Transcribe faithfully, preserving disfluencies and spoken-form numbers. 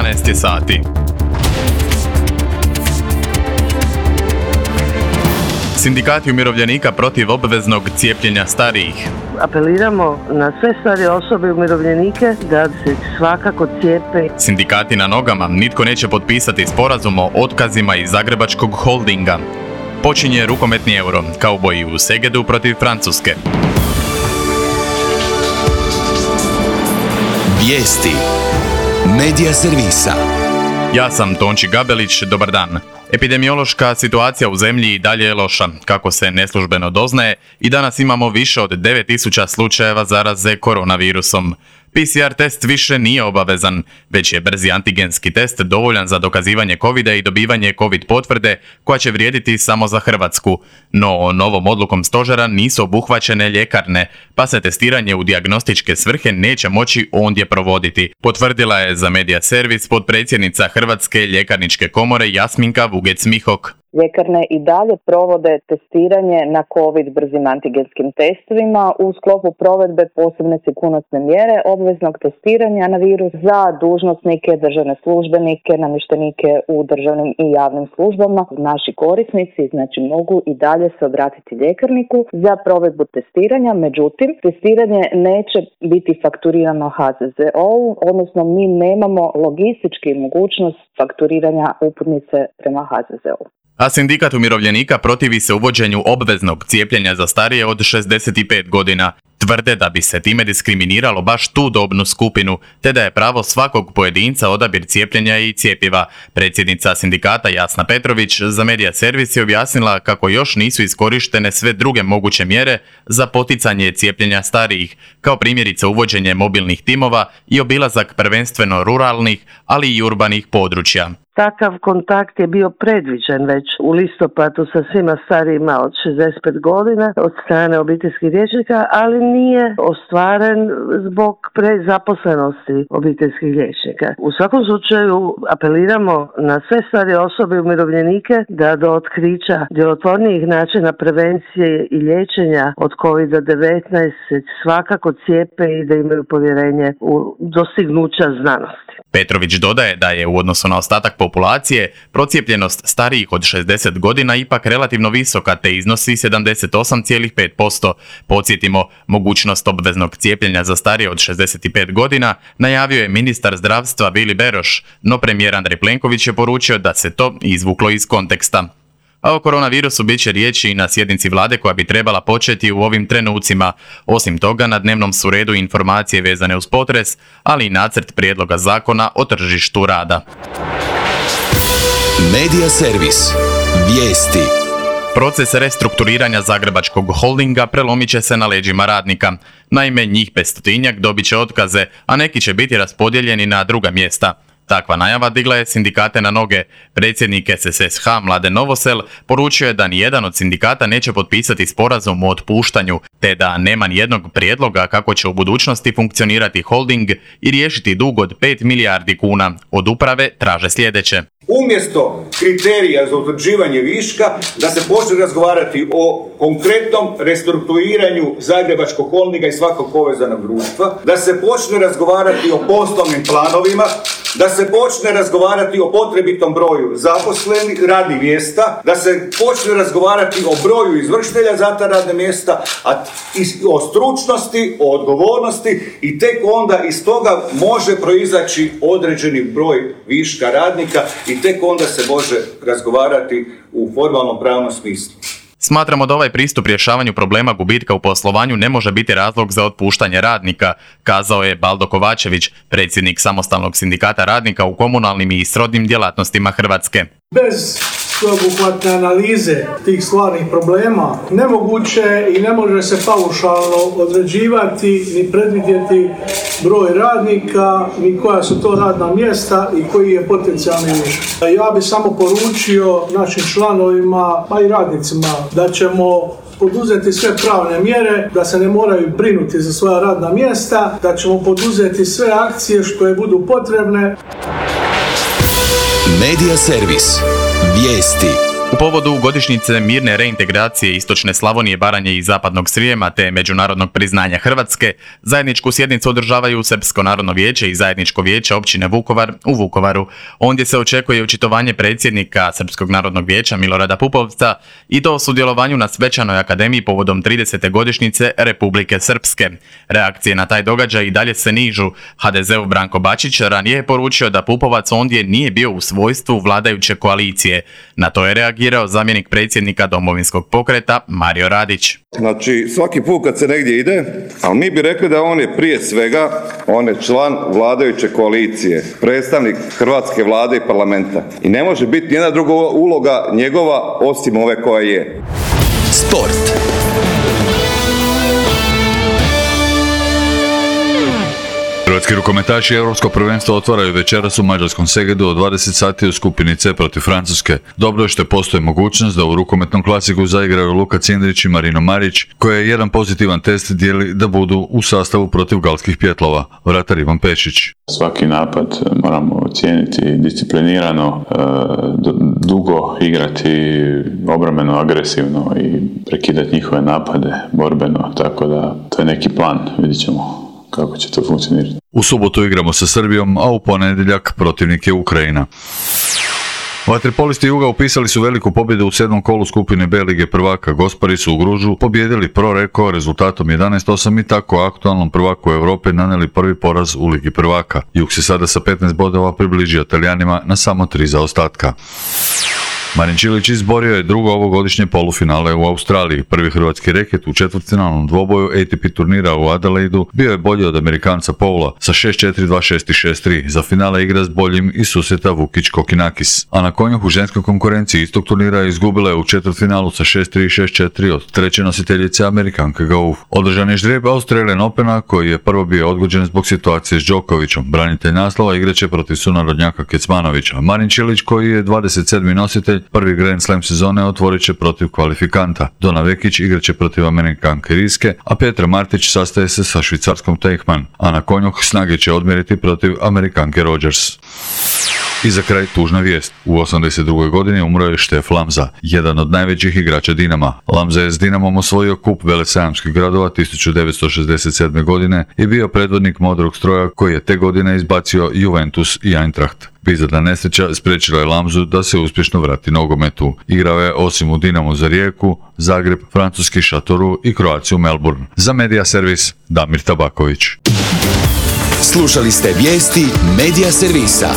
dvanaest je sati. Sindikati umirovljenika protiv obveznog cijepljenja starijih. Apeliramo na sve starije osobe i umirovljenike da se svakako cijepe. Sindikati na nogama, nitko neće potpisati sporazum o otkazima iz Zagrebačkog holdinga. Počinje rukometni euro, kauboji u Segedu protiv Francuske. Vijesti Medija servisa. Ja sam Tonči Gabelić, dobar dan. Epidemiološka situacija u zemlji i dalje je loša, kako se neslužbeno doznaje, i danas imamo više od devet tisuća slučajeva zaraze koronavirusom. P C R test više nije obavezan, već je brzi antigenski test dovoljan za dokazivanje covida i dobivanje covid potvrde koja će vrijediti samo za Hrvatsku. No, novom odlukom stožera nisu obuhvaćene ljekarne, pa se testiranje u dijagnostičke svrhe neće moći ondje provoditi, potvrdila je za Medija servis potpredsjednica Hrvatske ljekarničke komore Jasminka Vugec-Mihok. Ljekarne i dalje provode testiranje na COVID brzim antigenskim testovima u sklopu provedbe posebne sigurnosne mjere obveznog testiranja na virus za dužnosnike, državne službenike, namještenike u državnim i javnim službama. Naši korisnici znači mogu i dalje se obratiti ljekarniku za provedbu testiranja, međutim testiranje neće biti fakturirano H Z Z O-u, odnosno mi nemamo logistički mogućnost fakturiranja uputnice prema H Z Z O-u. A sindikat umirovljenika protivi se uvođenju obveznog cijepljenja za starije od šezdeset pet godina. Tvrde da bi se time diskriminiralo baš tu dobnu skupinu, te da je pravo svakog pojedinca odabir cijepljenja i cjepiva. Predsjednica sindikata Jasna Petrović za Medija servis je objasnila kako još nisu iskorištene sve druge moguće mjere za poticanje cijepljenja starijih, kao primjerice uvođenje mobilnih timova i obilazak prvenstveno ruralnih, ali i urbanih područja. Takav kontakt je bio predviđen već u listopadu sa svima starijima od šezdeset pet godina od strane obiteljskih liječnika, ali nije ostvaren zbog prezaposlenosti obiteljskih liječnika. U svakom slučaju apeliramo na sve starije osobe i umirovljenike da do otkrića djelotvornijih načina prevencije i liječenja od kovid devetnaest se svakako cijepe i da imaju povjerenje u dostignuća znanosti. Petrović dodaje da je u odnosu na ostatak populacije procijepljenost starijih od šezdeset godina ipak relativno visoka te iznosi sedamdeset osam zarez pet posto. Podsjetimo, mogućnost obveznog cijepljenja za starije od šezdeset pet godina najavio je ministar zdravstva Vili Beroš, no premijer Andrej Plenković je poručio da se to izvuklo iz konteksta. A o koronavirusu bit će riječi i na sjednici vlade koja bi trebala početi u ovim trenucima. Osim toga, na dnevnom su redu informacije vezane uz potres, ali i nacrt prijedloga zakona o tržištu rada. Medija servis. Vijesti. Proces restrukturiranja Zagrebačkog holdinga prelomit će se na leđima radnika. Naime, njih petstotinjak dobit će otkaze, a neki će biti raspodijeljeni na druga mjesta. Takva najava digla je sindikate na noge. Predsjednik S S S H Mladen Novosel poručio je da nijedan od sindikata neće potpisati sporazum o otpuštanju, te da nema nijednog prijedloga kako će u budućnosti funkcionirati holding i riješiti dug od pet milijardi kuna. Od uprave traže sljedeće. Umjesto kriterija za utvrđivanje viška, da se počne razgovarati o konkretnom restrukturiranju Zagrebačkog holdinga i svakog povezanog društva, da se počne razgovarati o poslovnim planovima, da se počne razgovarati o potrebitom broju zaposlenih radnih mjesta, da se počne razgovarati o broju izvršitelja za ta radna mjesta, a o stručnosti, o odgovornosti i tek onda iz toga može proizaći određeni broj viška radnika i tek onda se može razgovarati u formalnom pravnom smislu. Smatramo da ovaj pristup rješavanju problema gubitka u poslovanju ne može biti razlog za otpuštanje radnika, kazao je Baldo Kovačević, predsjednik Samostalnog sindikata radnika u komunalnim i srodnim djelatnostima Hrvatske. Bez sveobuhvatne analize tih stvarnih problema nemoguće i ne može se paušalno određivati ni predvidjeti broj radnika, ni koja su to radna mjesta i koji je potencijalni višak. Ja bih samo poručio našim članovima, pa i radnicima, da ćemo poduzeti sve pravne mjere, da se ne moraju brinuti za svoja radna mjesta, da ćemo poduzeti sve akcije što je budu potrebne. Medija servis. Vijesti. U povodu godišnjice mirne reintegracije istočne Slavonije, Baranje i zapadnog Srijema te međunarodnog priznanja Hrvatske, zajedničku sjednicu održavaju Srpsko narodno vijeće i zajedničko vijeće općine Vukovar u Vukovaru. Ondje se očekuje očitovanje predsjednika Srpskog narodnog vijeća Milorada Pupovca i to o sudjelovanju na svečanoj akademiji povodom tridesete godišnjice Republike Srpske. Reakcije na taj događaj i dalje se nižu. ha de zeu Branko Bačić ranije je poručio da Pupovac ondje nije bio u svojstvu vladajuće koalicije. Na to je reagirao zamjenik predsjednika Domovinskog pokreta Mario Radić. Znači, svaki put kad se negdje ide, ali mi bi rekli da on je prije svega, on je član vladajuće koalicije, predstavnik hrvatske vlade i parlamenta. I ne može biti nijedna druga uloga njegova osim ove koja je. Sport. Hrvatski rukometaši Europsko prvenstvo otvaraju večeras u mađarskom Segedu od dvadeset sati u skupini C protiv Francuske. Dobro je što postoji mogućnost da u rukometnom klasiku zaigraju Luka Cindrić i Marino Marić, koje jedan pozitivan test dijeli da budu u sastavu protiv galskih pjetlova. Vratar Ivan Pešić. Svaki napad moramo ocijeniti disciplinirano, dugo igrati obrambeno, agresivno i prekidati njihove napade borbeno, tako da to je neki plan, vidjet ćemo kako će to funkcionirati. U subotu igramo sa Srbijom, a u ponedjeljak protivnik je Ukrajina. Vaterpolisti Juga upisali su veliku pobjedu u sedmom kolu skupine B Lige prvaka. Gospari su u Gružu pobjedili Pro Reko rezultatom jedanaest osam i tako aktualnom prvaku Europe nanijeli prvi poraz u Ligi prvaka. Jug se sada sa petnaest bodova približio Talijanima na samo tri zaostatka. Marin Čilić izborio je drugo ovogodišnje polufinale u Australiji. Prvi hrvatski reket u četvrtfinalnom dvoboju A T P turnira u Adelaidu bio je bolji od Amerikanca Paula sa šest četiri, dva šest i šest tri. Za finale igra s boljim i susjeta Vukić Kokinakis. A na konjuh u ženskoj konkurenciji istog turnira izgubila je u četvrtfinalu sa šest tri i šest četiri od treće nositeljice Amerikanke Gauff. Održan je ždrijeb Australian Opena koji je prvo bio odgođen zbog situacije s Đokovićem. Branitelj naslova igraće protiv sunarodnjaka Kecmanovića. Marin Čilić koji je dvadeset sedmi nositelj prvi Grand Slam sezone otvorit će protiv kvalifikanta. Dona Vekić igraće protiv Amerikanke Riske, a Petra Martić sastaje se sa švicarskom Teichmann, a na konju snage će odmjeriti protiv Amerikanke Rogers. I za kraj tužna vijest. U osamdeset drugoj godini umro je Štef Lamza, jedan od najvećih igrača Dinama. Lamza je s Dinamom osvojio kup velesajamskih gradova tisuću devetsto šezdeset sedme. godine i bio predvodnik modrog stroja koji je te godine izbacio Juventus i Eintracht. Bizarna nesreća spriječila je Lamzu da se uspješno vrati nogometu. Igrao je osim u Dinamu za Rijeku, Zagreb, francuski Šatoru i Croaciju Melbourne. Za Media Servis Damir Tabaković. Slušali ste vijesti Media Servisa.